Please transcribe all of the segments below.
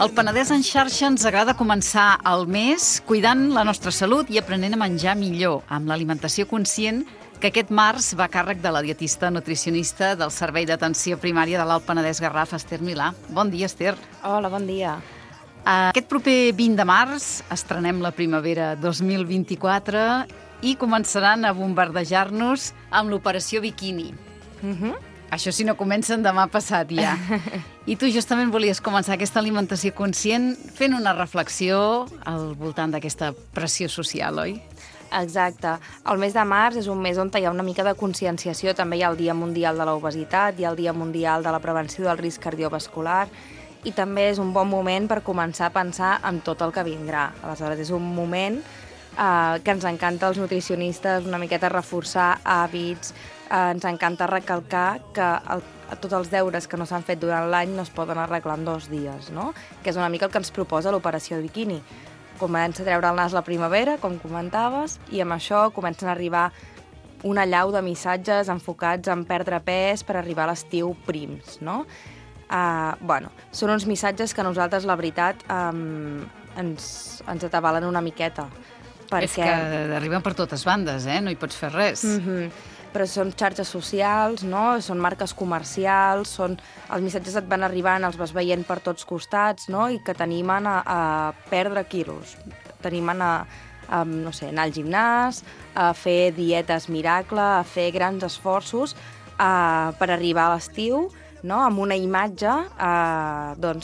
Al Penedès en xarxa ens agrada començar el mes cuidant la nostra salut i aprenent a menjar millor, amb l'alimentació conscient, que aquest març va a càrrec de la dietista nutricionista del Servei d'Atenció Primària de l'Alt Penedès Garraf, Esther Milà. Bon dia, Esther. Hola, bon dia. Aquest proper 20 de març estrenem la primavera 2024 i començaran a bombardejar-nos amb l'operació Biquini. Això si no comencen demà passat ja. I tu justament volies començar aquesta alimentació conscient fent una reflexió al voltant d'aquesta pressió social, oi? Exacte. El mes de març és un mes on hi ha una mica de conscienciació. També hi ha el Dia Mundial de l'Obesitat, hi ha el Dia Mundial de la Prevenció del Risc Cardiovascular i també és un bon moment per començar a pensar en tot el que vindrà. Aleshores, és un moment que ens encanta als nutricionistes una miqueta reforçar hàbits, ens encanta recalcar que tots els deures que no s'han fet durant l'any no es poden arreglar en 2 dies, no? Que és una mica el que ens proposa l'operació Biquini. Comença a treure el nas la primavera, com comentaves, i amb això comencen a arribar una allau de missatges enfocats en perdre pes per arribar a l'estiu prims, no? Són uns missatges que a nosaltres, la veritat, ens atabalen una miqueta. És que arriben per totes bandes, no hi pots fer res. Però són xarxes socials, no? Són marques comercials, els missatges et van arribant, els vas veient per tots costats, no? I que t'animen a perdre quilos, t'animen a anar al gimnàs, a fer dietes miracle, a fer grans esforços per arribar a l'estiu, no? Amb una imatge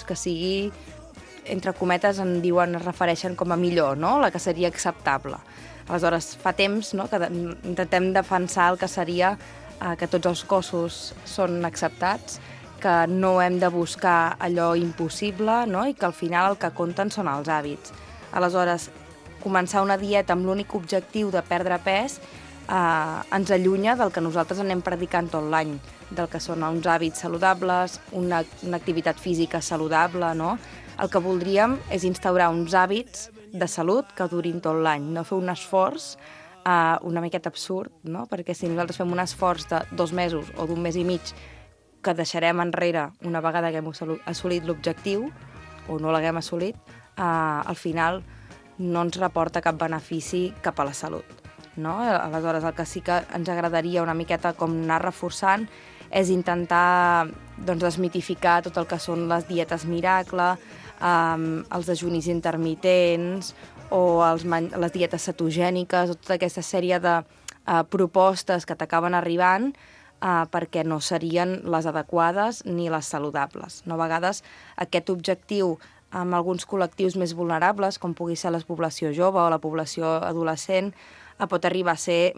que sigui, entre cometes, es refereixen com a millor, no? La que seria acceptable. Aleshores, fa temps, no?, que intentem defensar el que seria que tots els cossos són acceptats, que no hem de buscar allò impossible, no?, i que al final el que compten són els hàbits. Aleshores, començar una dieta amb l'únic objectiu de perdre pes ens allunya del que nosaltres anem predicant tot l'any, del que són uns hàbits saludables, una activitat física saludable, no? El que voldríem és instaurar uns hàbits de salut que durin tot l'any, no fer un esforç una miqueta absurd, no? Perquè si nosaltres fem un esforç de 2 mesos o d'1 mes i mig que deixarem enrere una vegada que hem assolit l'objectiu o no l'haguem assolit, al final no ens reporta cap benefici cap a la salut, no? Aleshores, el que sí que ens agradaria una miqueta com anar reforçant és intentar desmitificar tot el que són les dietes miracle, els dejunis intermitents o les dietes cetogèniques, o tota aquesta sèrie de propostes que t'acaben arribant perquè no serien les adequades ni les saludables. No? A vegades aquest objectiu amb alguns col·lectius més vulnerables, com pugui ser la població jove o la població adolescent, pot arribar a ser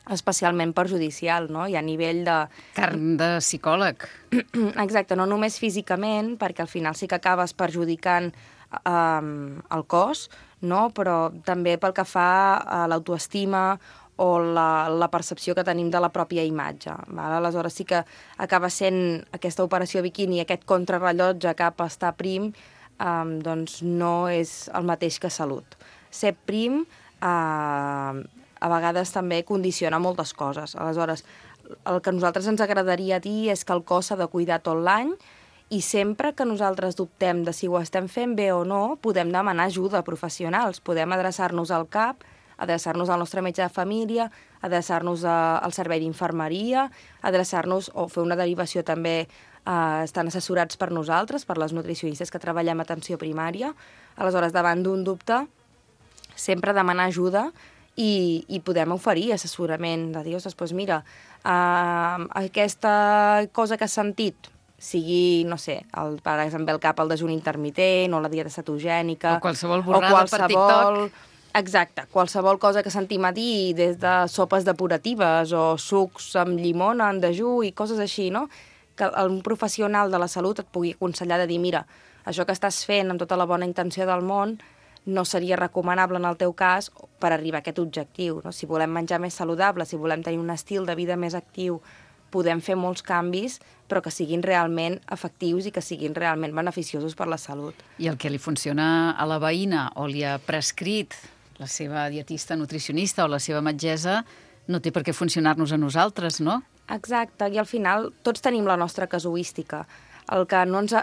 especialment perjudicial, no? I a nivell de... Carn de psicòleg. Exacte, no només físicament, perquè al final sí que acabes perjudicant el cos, no? Però també pel que fa a l'autoestima o la percepció que tenim de la pròpia imatge. Val? Aleshores sí que acaba sent aquesta operació Biquini, aquest contrarrellotge cap a estar prim, doncs no és el mateix que salut. Ser prim a vegades també condiciona moltes coses. Aleshores, el que a nosaltres ens agradaria dir és que el cos s'ha de cuidar tot l'any i sempre que nosaltres dubtem de si ho estem fent bé o no, podem demanar ajuda a professionals. Podem adreçar-nos al CAP, adreçar-nos al nostre metge de família, adreçar-nos al servei d'infermeria, adreçar-nos o fer una derivació també, estan assessorats per nosaltres, per les nutricionistes que treballem a atenció primària. Aleshores, davant d'un dubte, sempre demanar ajuda i podem oferir assessorament de dir, ostres, mira, aquesta cosa que has sentit, sigui, no sé, per exemple, el cap al dejuni intermitent o la dieta cetogènica... O qualsevol borrada per TikTok. Exacte, qualsevol cosa que sentim a dir, des de sopes depuratives o sucs amb llimona en dejú i coses així, no? Que un professional de la salut et pugui aconsellar de dir, mira, això que estàs fent amb tota la bona intenció del món no seria recomanable en el teu cas per arribar a aquest objectiu, no? Si volem menjar més saludable, si volem tenir un estil de vida més actiu, podem fer molts canvis, però que siguin realment efectius i que siguin realment beneficiosos per la salut. I el que li funciona a la veïna o li ha prescrit la seva dietista nutricionista o la seva metgessa no té per què funcionar-nos a nosaltres, no? Exacte, i al final tots tenim la nostra casuística. El que no ens...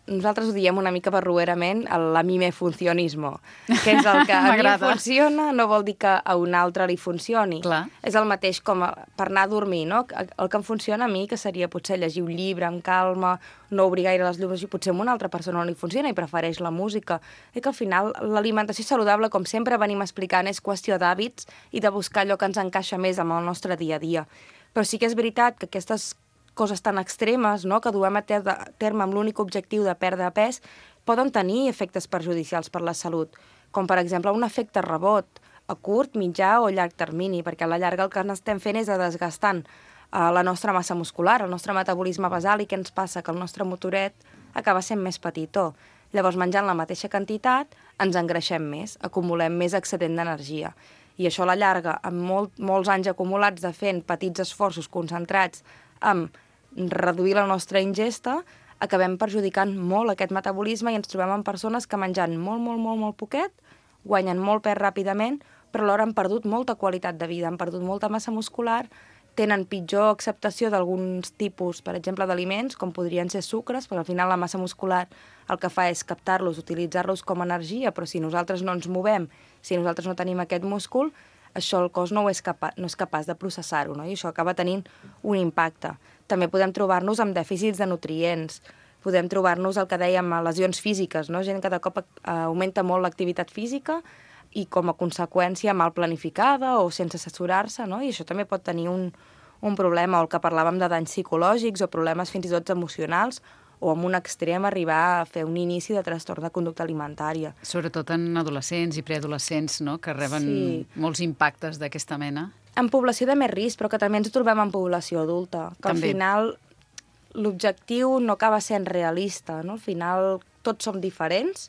nosaltres ho diem una mica barruerament, la mime funcionismo, que és el que a mi em funciona no vol dir que a un altre li funcioni. Clar. És el mateix com per anar a dormir, no? El que em funciona a mi, que seria potser llegir un llibre amb calma, no obrir gaire les llums, i potser a una altra persona no li funciona i prefereix la música. I que al final l'alimentació saludable, com sempre venim explicant, és qüestió d'hàbits i de buscar allò que ens encaixa més amb el nostre dia a dia. Però sí que és veritat que aquestes coses tan extremes, no?, que duem a terme amb l'únic objectiu de perdre pes, poden tenir efectes perjudicials per la salut, com per exemple un efecte rebot a curt, mitjà o llarg termini, perquè a la llarga el que estem fent és desgastant la nostra massa muscular, el nostre metabolisme basal, i què ens passa? Que el nostre motoret acaba sent més petitó. Llavors, menjant la mateixa quantitat, ens engreixem més, acumulem més excedent d'energia. I això a la llarga, amb molts anys acumulats de fent petits esforços concentrats amb reduir la nostra ingesta, acabem perjudicant molt aquest metabolisme i ens trobem amb persones que menjant molt poquet, guanyen molt pes ràpidament, però alhora han perdut molta qualitat de vida, han perdut molta massa muscular, tenen pitjor acceptació d'alguns tipus, per exemple, d'aliments, com podrien ser sucres, perquè al final la massa muscular el que fa és captar-los, utilitzar-los com a energia, però si nosaltres no ens movem, si nosaltres no tenim aquest múscul, això el cos no és capaç de processar-ho, no? I això acaba tenint un impacte. També podem trobar-nos amb dèficits de nutrients, podem trobar-nos el que dèiem, lesions físiques, no? Gent que de cop augmenta molt l'activitat física i com a conseqüència mal planificada o sense assessorar-se, no? I això també pot tenir un problema, o el que parlàvem de danys psicològics o problemes fins i tot emocionals, o amb un extrem arribar a fer un inici de trastorn de conducta alimentària. Sobretot en adolescents i preadolescents, no?, que reben molts impactes d'aquesta mena. En població de més risc, però que també ens trobem en població adulta, que també. Al final l'objectiu no acaba sent realista, no? Al final tots som diferents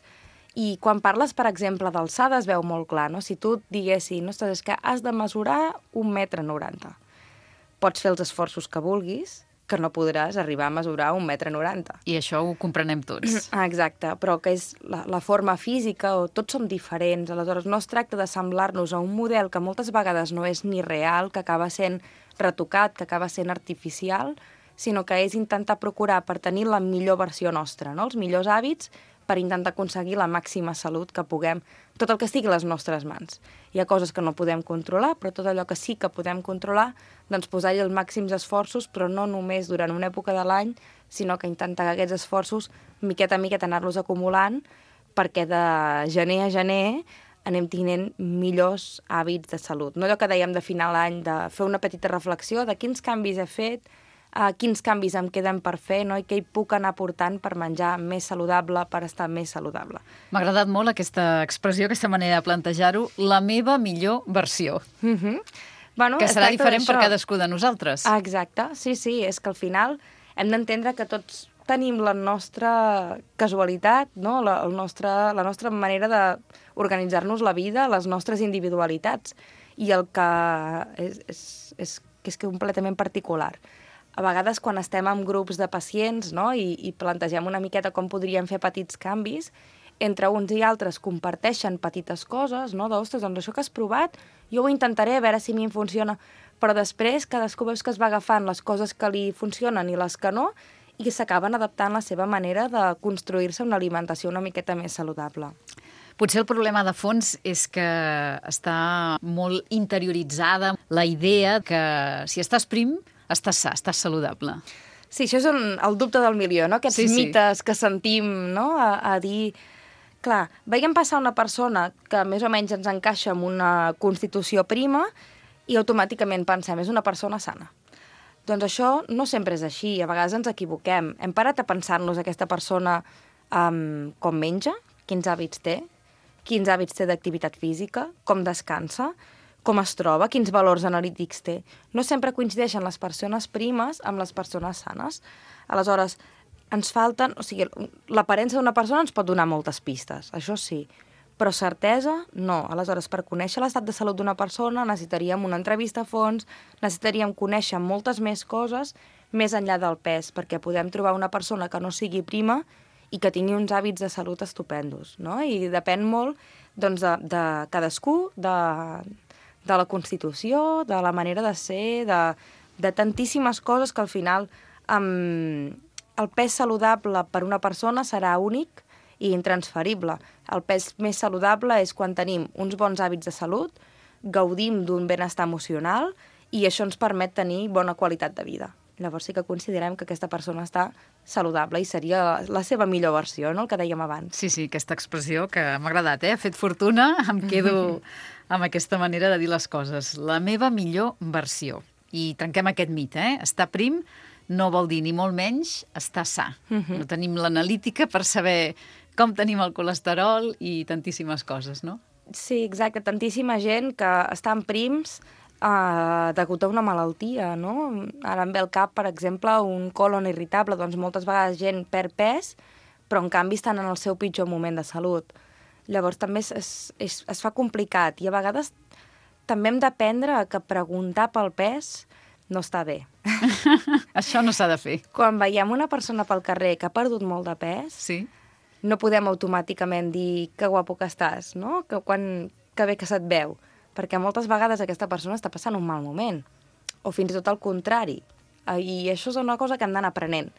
i quan parles, per exemple, d'alçada es veu molt clar, no? Si tu diguessis, ostres, és que has de mesurar 1,90 m. Pots fer els esforços que vulguis, que no podràs arribar a mesurar 1,90 m. I això ho comprenem tots. Exacte, però que és la forma física, o tots som diferents, aleshores no es tracta de semblar-nos a un model que moltes vegades no és ni real, que acaba sent retocat, que acaba sent artificial, sinó que és intentar procurar per tenir la millor versió nostra, no? Els millors hàbits per intentar aconseguir la màxima salut que puguem, tot el que estigui a les nostres mans. Hi ha coses que no podem controlar, però tot allò que sí que podem controlar, doncs posar-hi els màxims esforços, però no només durant una època de l'any, sinó que intentar que aquests esforços, miqueta a miqueta, anar-los acumulant, perquè de gener a gener anem tenint millors hàbits de salut. No allò que dèiem de final d'any, de fer una petita reflexió de quins canvis he fet, quins canvis em queden per fer, no? I què hi puc anar portant per menjar més saludable, per estar més saludable. M'ha agradat molt aquesta expressió, aquesta manera de plantejar-ho, la meva millor versió. Bueno, que serà diferent per cadascú de nosaltres. Exacte, sí, és que al final hem d'entendre que tots tenim la nostra casualitat, no? la nostra manera d'organitzar-nos la vida, les nostres individualitats, i el que és completament particular. A vegades, quan estem en grups de pacients, no? I plantegem una miqueta com podríem fer petits canvis, entre uns i altres comparteixen petites coses, no? Ostres, doncs això que has provat, jo ho intentaré a veure si a mi em funciona, però després cadascú veus que es va agafant les coses que li funcionen i les que no, i s'acaben adaptant la seva manera de construir-se una alimentació una miqueta més saludable. Potser el problema de fons és que està molt interioritzada la idea que si estàs prim, estàs sa, estàs saludable. Sí, això és el dubte del milió, no? Aquests mites que sentim, no? A dir... Clar, veiem passar una persona que més o menys ens encaixa en una constitució prima i automàticament pensem, és una persona sana. Doncs això no sempre és així, a vegades ens equivoquem. Hem parat a pensar-nos aquesta persona com menja, quins hàbits té d'activitat física, com descansa, com es troba, quins valors analítics té. No sempre coincideixen les persones primes amb les persones sanes. Aleshores, ens falten... O sigui, l'aparença d'una persona ens pot donar moltes pistes, això sí, però certesa, no. Aleshores, per conèixer l'estat de salut d'una persona necessitaríem una entrevista a fons, necessitaríem conèixer moltes més coses més enllà del pes, perquè podem trobar una persona que no sigui prima i que tingui uns hàbits de salut estupendos, no? I depèn molt, doncs, de cadascú, de la constitució, de la manera de ser, de tantíssimes coses que al final el pes saludable per una persona serà únic i intransferible. El pes més saludable és quan tenim uns bons hàbits de salut, gaudim d'un benestar emocional i això ens permet tenir bona qualitat de vida. Llavors sí que considerem que aquesta persona està saludable i seria la seva millor versió, no? El que dèiem abans. Sí, aquesta expressió que m'ha agradat, Ha fet fortuna, em quedo amb aquesta manera de dir les coses. La meva millor versió. I trenquem aquest mite, Estar prim no vol dir ni molt menys estar sa. No tenim l'analítica per saber com tenim el colesterol i tantíssimes coses, no? Sí, exacte. Tantíssima gent que estan prims degut a una malaltia, no? Ara em ve al cap, per exemple, un colon irritable. Doncs moltes vegades gent perd pes, però en canvi estan en el seu pitjor moment de salut. Llavors també es fa complicat i a vegades també hem d'aprendre que preguntar pel pes no està bé. Això no s'ha de fer. Quan veiem una persona pel carrer que ha perdut molt de pes, no podem automàticament dir que guapo que estàs, no? Que bé que se't veu. Perquè moltes vegades aquesta persona està passant un mal moment. O fins i tot el contrari. I això és una cosa que hem d'anar aprenent.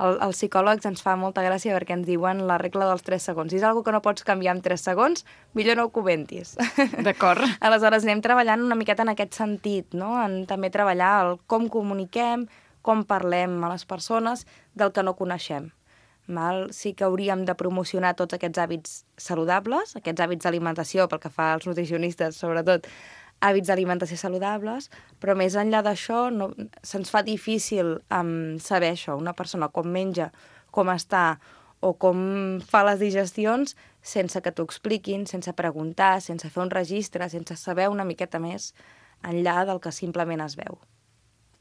Els psicòlegs ens fa molta gràcia perquè ens diuen la regla dels 3 segons. Si és una cosa que no pots canviar en 3 segons, millor no ho comentis. D'acord. Aleshores, anem treballant una miqueta en aquest sentit, no? En també treballar el com comuniquem, com parlem a les persones del que no coneixem. Sí que hauríem de promocionar tots aquests hàbits saludables, aquests hàbits d'alimentació, pel que fa als nutricionistes, sobretot, hàbits d'alimentació saludables, però més enllà d'això se'ns fa difícil saber això, una persona com menja, com està o com fa les digestions sense que t'ho expliquin, sense preguntar, sense fer un registre, sense saber una miqueta més enllà del que simplement es veu.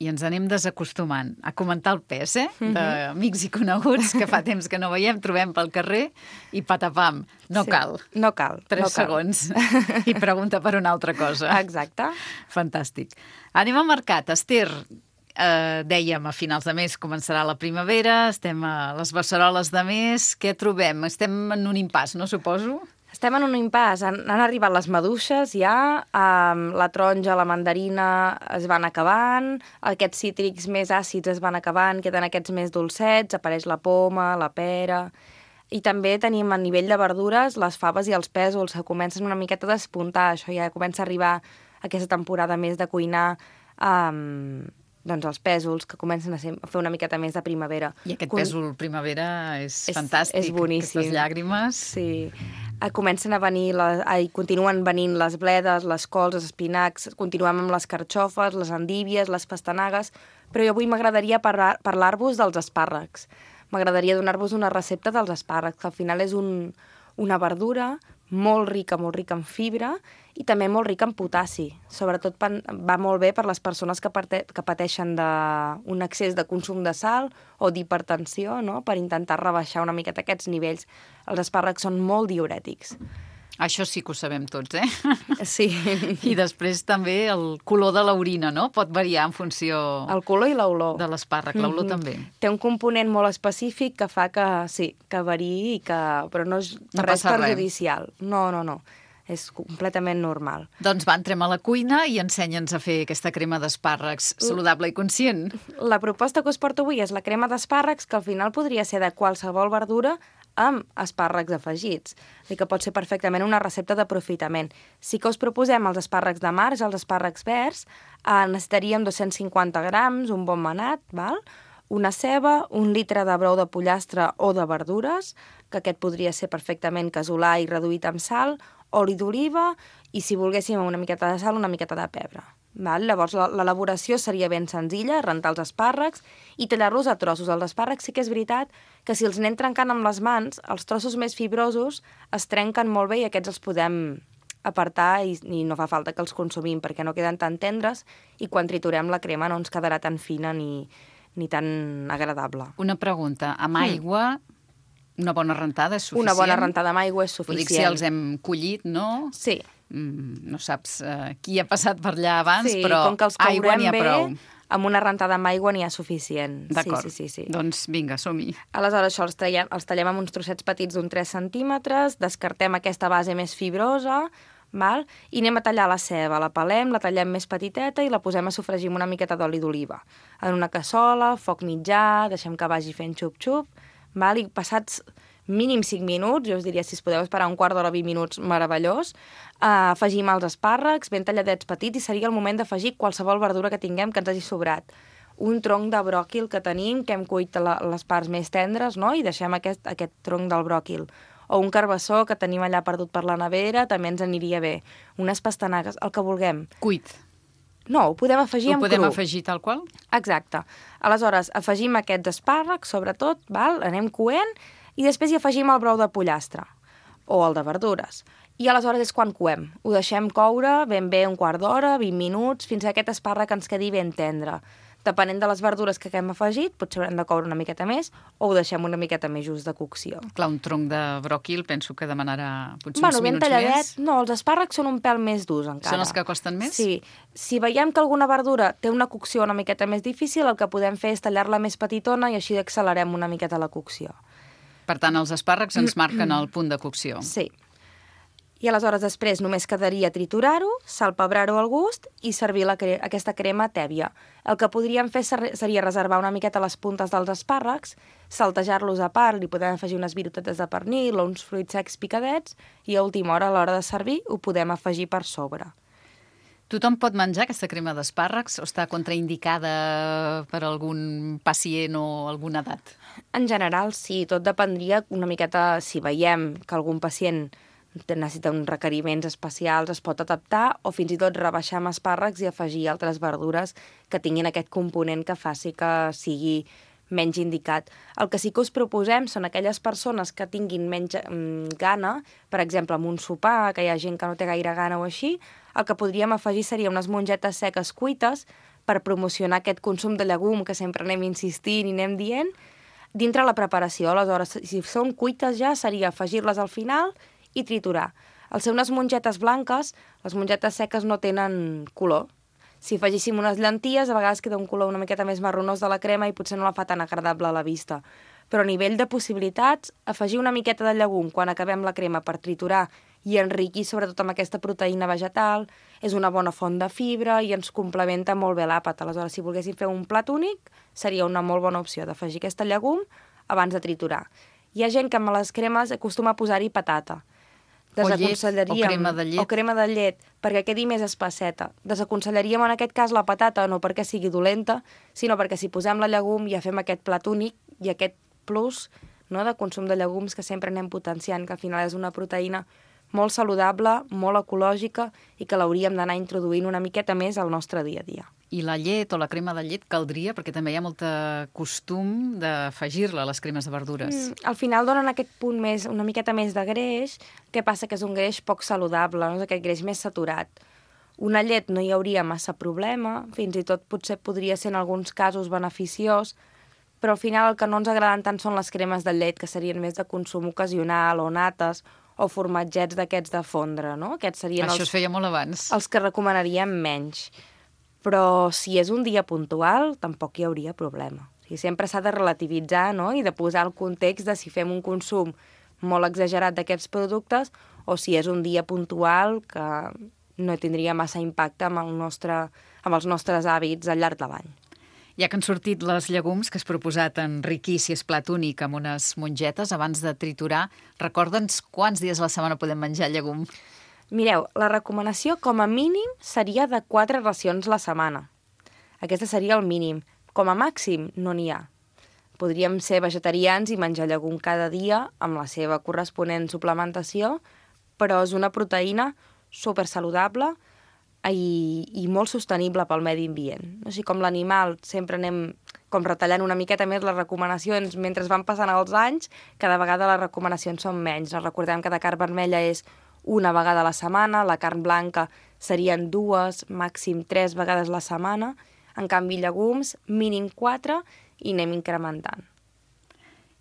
I ens anem desacostumant a comentar el pes, d'amics i coneguts que fa temps que no veiem, trobem pel carrer i patapam. No cal. No cal. 3 segons. I pregunta per una altra cosa. Exacte. Fantàstic. Anem al mercat. Esther, dèiem, a finals de mes començarà la primavera, estem a les beceroles de mes. Què trobem? Estem en un impàs, no suposo? Estem en un impàs. Han arribat les maduixes ja, la taronja, la mandarina es van acabant, aquests cítrics més àcids es van acabant, queden aquests més dolcets, apareix la poma, la pera... I també tenim a nivell de verdures les faves i els pèsols que comencen una miqueta a despuntar. Això ja comença a arribar aquesta temporada més de cuinar doncs els pèsols que comencen a fer una miqueta més de primavera. I aquest pèsol primavera és fantàstic. És boníssim. Aquestes llàgrimes. Sí. Comencen a venir, continuen venint les bledes, les cols, els espinacs, continuem amb les carxofes, les endívies, les pastanagues, però jo avui m'agradaria parlar-vos dels espàrrecs. M'agradaria donar-vos una recepta dels espàrrecs, que al final és una verdura molt rica en fibra i també molt rica en potassi. Sobretot va molt bé per les persones que pateixen d'un excés de consum de sal o d'hipertensió, no? Per intentar rebaixar una miqueta aquests nivells. Els espàrrecs són molt diürètics. Això sí que ho sabem tots, Sí. I després també el color de l'orina, no? Pot variar en funció... El color i l'olor. De l'espàrrec, l'olor també. Té un component molt específic que fa que variï, però no és res perjudicial. No. És completament normal. Doncs va, entrem a la cuina i ensenya'ns a fer aquesta crema d'espàrrecs saludable i conscient. La proposta que us porto avui és la crema d'espàrrecs, que al final podria ser de qualsevol verdura amb espàrrecs afegits. I que pot ser perfectament una recepta d'aprofitament. Si que us proposem els espàrrecs de març, els espàrrecs verds, necessitaríem 250 grams, un bon manat, una ceba, 1 litre de brou de pollastre o de verdures, que aquest podria ser perfectament casolà i reduït amb sal, oli d'oliva i, si volguéssim, una miqueta de sal, una miqueta de pebre. Llavors, l'elaboració seria ben senzilla, rentar els espàrrecs i tallar-los a trossos. Els espàrrecs sí que és veritat que si els anem trencant amb les mans, els trossos més fibrosos es trenquen molt bé i aquests els podem apartar i no fa falta que els consumim perquè no queden tan tendres i quan triturem la crema no ens quedarà tan fina ni tan agradable. Una pregunta, amb aigua... Una bona rentada és suficient? Una bona rentada amb aigua és suficient. Vull dir que si els hem collit, no? Sí. No saps qui ha passat per allà abans, però com que els aigua n'hi ha prou. Amb una rentada amb aigua n'hi ha suficient. D'acord. Sí. Doncs vinga, som-hi. Aleshores, això els tallem amb uns trossets petits d'1 3 centímetres, descartem aquesta base més fibrosa, val? I anem a tallar la ceba, la pelem, la tallem més petiteta i la posem a sofregir amb una miqueta d'oli d'oliva. En una cassola, foc mitjà, deixem que vagi fent xup-xup, val? I passats mínim 5 minuts, jo us diria si es podeu esperar un quart d'hora, 20 minuts, meravellós, afegim els espàrrecs ben talladets petits i seria el moment d'afegir qualsevol verdura que tinguem que ens hagi sobrat. Un tronc de bròquil que tenim, que hem cuit les parts més tendres, no? I deixem aquest tronc del bròquil. O un carbassó que tenim allà perdut per la nevera, també ens aniria bé. Unes pastanagues, el que vulguem. Cuit. No, ho podem afegir en cru. Ho podem afegir tal qual? Exacte. Aleshores, afegim aquests espàrrecs, sobretot, val? Anem coent, i després hi afegim el brou de pollastre, o el de verdures. I aleshores és quan coem. Ho deixem coure ben bé un quart d'hora, 20 minuts, fins que aquest espàrrec ens quedi ben tendre. Depenent de les verdures que hem afegit, potser haurem de coure una miqueta més o ho deixem una miqueta més just de cocció. Clar, un tronc de bròquil penso que demanarà potser uns minuts talladet, més. No, els espàrrecs són un pèl més durs encara. Són els que costen més? Sí. Si veiem que alguna verdura té una cocció una miqueta més difícil, el que podem fer és tallar-la més petitona i així accelerem una miqueta la cocció. Per tant, els espàrrecs ens marquen el punt de cocció. Sí. I aleshores després només quedaria triturar-ho, salpebrar-ho al gust i servir aquesta crema tèbia. El que podríem fer seria reservar una miqueta les puntes dels espàrrecs, saltejar-los a part, li podem afegir unes virutetes de pernil o uns fruits secs picadets i a última hora, a l'hora de servir, ho podem afegir per sobre. Tothom pot menjar aquesta crema d'espàrrecs o està contraindicada per algun pacient o alguna edat? En general, sí. Tot dependria una miqueta si veiem que algun pacient necessita uns requeriments especials, es pot adaptar o fins i tot rebaixar amb espàrrecs i afegir altres verdures que tinguin aquest component que faci que sigui menys indicat. El que sí que us proposem són aquelles persones que tinguin menys gana, per exemple, amb un sopar, que hi ha gent que no té gaire gana o així, el que podríem afegir seria unes mongetes seques cuites per promocionar aquest consum de llegum que sempre anem insistint i anem dient, dintre la preparació. Aleshores, si són cuites ja, seria afegir-les al final i triturar. Al ser unes mongetes blanques, les mongetes seques no tenen color. Si afegíssim unes llenties, a vegades queda un color una miqueta més marronós de la crema i potser no la fa tan agradable a la vista. Però a nivell de possibilitats, afegir una miqueta de llegum quan acabem la crema per triturar i enriquir sobretot amb aquesta proteïna vegetal, és una bona font de fibra i ens complementa molt bé l'àpat. Aleshores, si volguéssim fer un plat únic, seria una molt bona opció d'afegir aquesta llegum abans de triturar. Hi ha gent que amb les cremes acostuma a posar-hi patata. O llet, o crema de llet. O crema de llet, perquè quedi més espesseta. Desaconsellaríem en aquest cas la patata, no perquè sigui dolenta, sinó perquè si posem la llegum ja fem aquest plat únic i aquest plus, no, de consum de llegums que sempre anem potenciant, que al final és una proteïna molt saludable, molt ecològica i que l'hauríem d'anar introduint una miqueta més al nostre dia a dia. I la llet o la crema de llet caldria, perquè també hi ha molt costum d'afegir-la a les cremes de verdures. Al final donen aquest punt més, una miqueta més de greix, que passa que és un greix poc saludable, no? És aquest greix més saturat. Una llet no hi hauria massa problema, fins i tot potser podria ser en alguns casos beneficiós, però al final el que no ens agraden tant són les cremes de llet, que serien més de consum ocasional, o nates, o formatgets d'aquests de fondre, no? Aquests serien Això es feia molt abans. Els que recomanaríem menys. Però si és un dia puntual, tampoc hi hauria problema. O sigui, sempre s'ha de relativitzar, no? I de posar el context de si fem un consum molt exagerat d'aquests productes o si és un dia puntual que no tindria massa impacte amb els nostres hàbits al llarg de l'any. Ja que han sortit les llegums que has proposat enriquir, si és plat únic, amb unes mongetes, abans de triturar, recorda'ns quants dies a la setmana podem menjar llegum? Mireu, la recomanació com a mínim seria de 4 racions la setmana. Aquesta seria el mínim. Com a màxim, no n'hi ha. Podríem ser vegetarians i menjar llegum cada dia amb la seva corresponent suplementació, però és una proteïna supersaludable i molt sostenible pel medi ambient. O sigui, com l'animal sempre anem com retallant una miqueta més les recomanacions mentre van passant els anys, cada vegada les recomanacions són menys. Recordem que de carn vermella és una vegada a la setmana, la carn blanca serien 2, màxim 3 vegades a la setmana, en canvi llegums, mínim 4, i anem incrementant.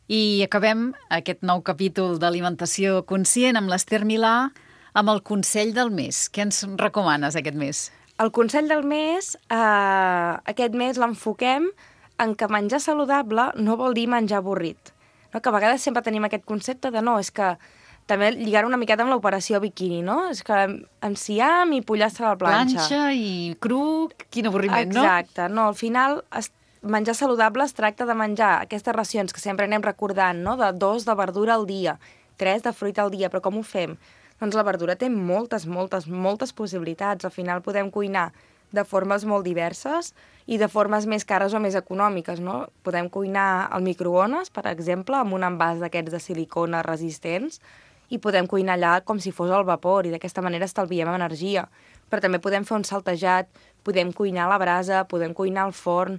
I acabem aquest nou capítol d'alimentació conscient amb l'Ester Milà, amb el consell del mes. Què ens recomanes aquest mes? El consell del mes, aquest mes l'enfoquem en que menjar saludable no vol dir menjar avorrit. No? Que a vegades sempre tenim aquest concepte de no, és que també lligar una miqueta amb l'operació biquini, no? És que enciam i pollastre a la planxa. Planxa i cru, quin avorriment, no? Exacte, no, al final menjar saludable es tracta de menjar aquestes racions que sempre anem recordant, no? De 2 de verdura al dia, 3 de fruita al dia, però com ho fem? Doncs la verdura té moltes possibilitats. Al final podem cuinar de formes molt diverses i de formes més cares o més econòmiques, no? Podem cuinar al microones, per exemple, amb un envàs d'aquests de silicona resistents, i podem cuinar allà com si fos al vapor, i d'aquesta manera estalviem energia. Però també podem fer un saltejat, podem cuinar a la brasa, podem cuinar al forn.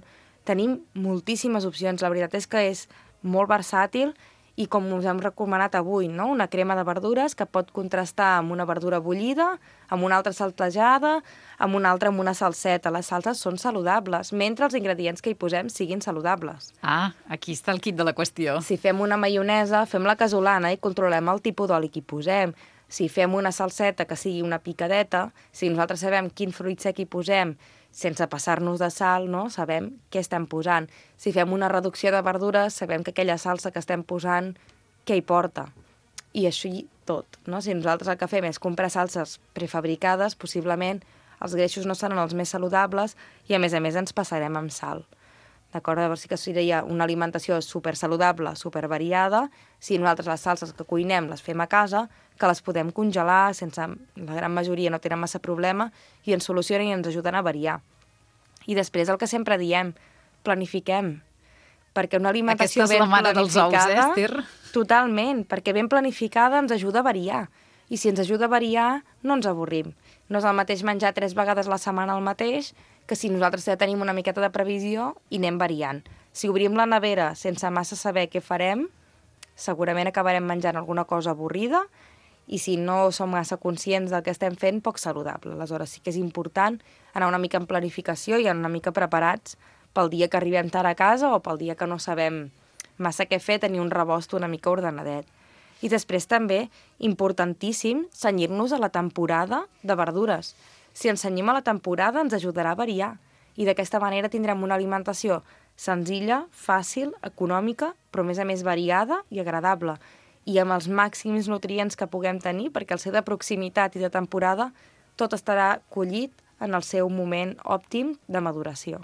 Tenim moltíssimes opcions. La veritat és que és molt versàtil i com us hem recomanat avui, no? Una crema de verdures que pot contrastar amb una verdura bullida, amb una altra saltejada, amb una altra amb una salseta. Les salses són saludables, mentre els ingredients que hi posem siguin saludables. Ah, aquí està el quid de la qüestió. Si fem una maionesa, fem la casolana i controlem el tipus d'oli que hi posem. Si fem una salseta que sigui una picadeta, si nosaltres sabem quin fruit sec hi posem, sense passar-nos de sal, no? Sabem què estem posant. Si fem una reducció de verdures, sabem que aquella salsa que estem posant, què hi porta. I així tot, no? Si nosaltres el que fem és comprar salses prefabricades, possiblement els greixos no seran els més saludables i, a més ens passarem amb sal. D'acord? Llavors sí que seria una alimentació supersaludable, supervariada, si nosaltres les salses que cuinem les fem a casa, que les podem congelar, la gran majoria no tenen massa problema, i ens solucionen i ens ajuden a variar. I després el que sempre diem, planifiquem, perquè una alimentació ben planificada... Aquesta és la mare dels ous, Esther? Totalment, perquè ben planificada ens ajuda a variar. I si ens ajuda a variar, no ens avorrim. No és el mateix menjar 3 vegades a la setmana el mateix que si nosaltres ja tenim una miqueta de previsió i anem variant. Si obrim la nevera sense massa saber què farem, segurament acabarem menjant alguna cosa avorrida i si no som massa conscients del que estem fent, poc saludable. Aleshores sí que és important anar una mica en planificació i anar una mica preparats pel dia que arribem tard a casa o pel dia que no sabem massa què fer, tenir un rebost una mica ordenadet. I després també, importantíssim, cenyir-nos a la temporada de verdures. Si ens cenyim a la temporada ens ajudarà a variar i d'aquesta manera tindrem una alimentació senzilla, fàcil, econòmica, però a més variada i agradable i amb els màxims nutrients que puguem tenir, perquè al ser de proximitat i de temporada tot estarà collit en el seu moment òptim de maduració.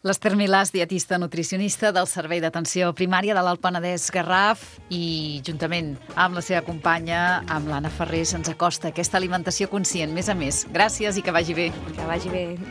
L'Esther Milàs, dietista nutricionista del Servei d'Atenció Primària de l'Alt Penedès Garraf i juntament amb la seva companya, amb l'Anna Ferrer, se'ns acosta aquesta alimentació conscient. Més a més, gràcies i que vagi bé. Que vagi bé.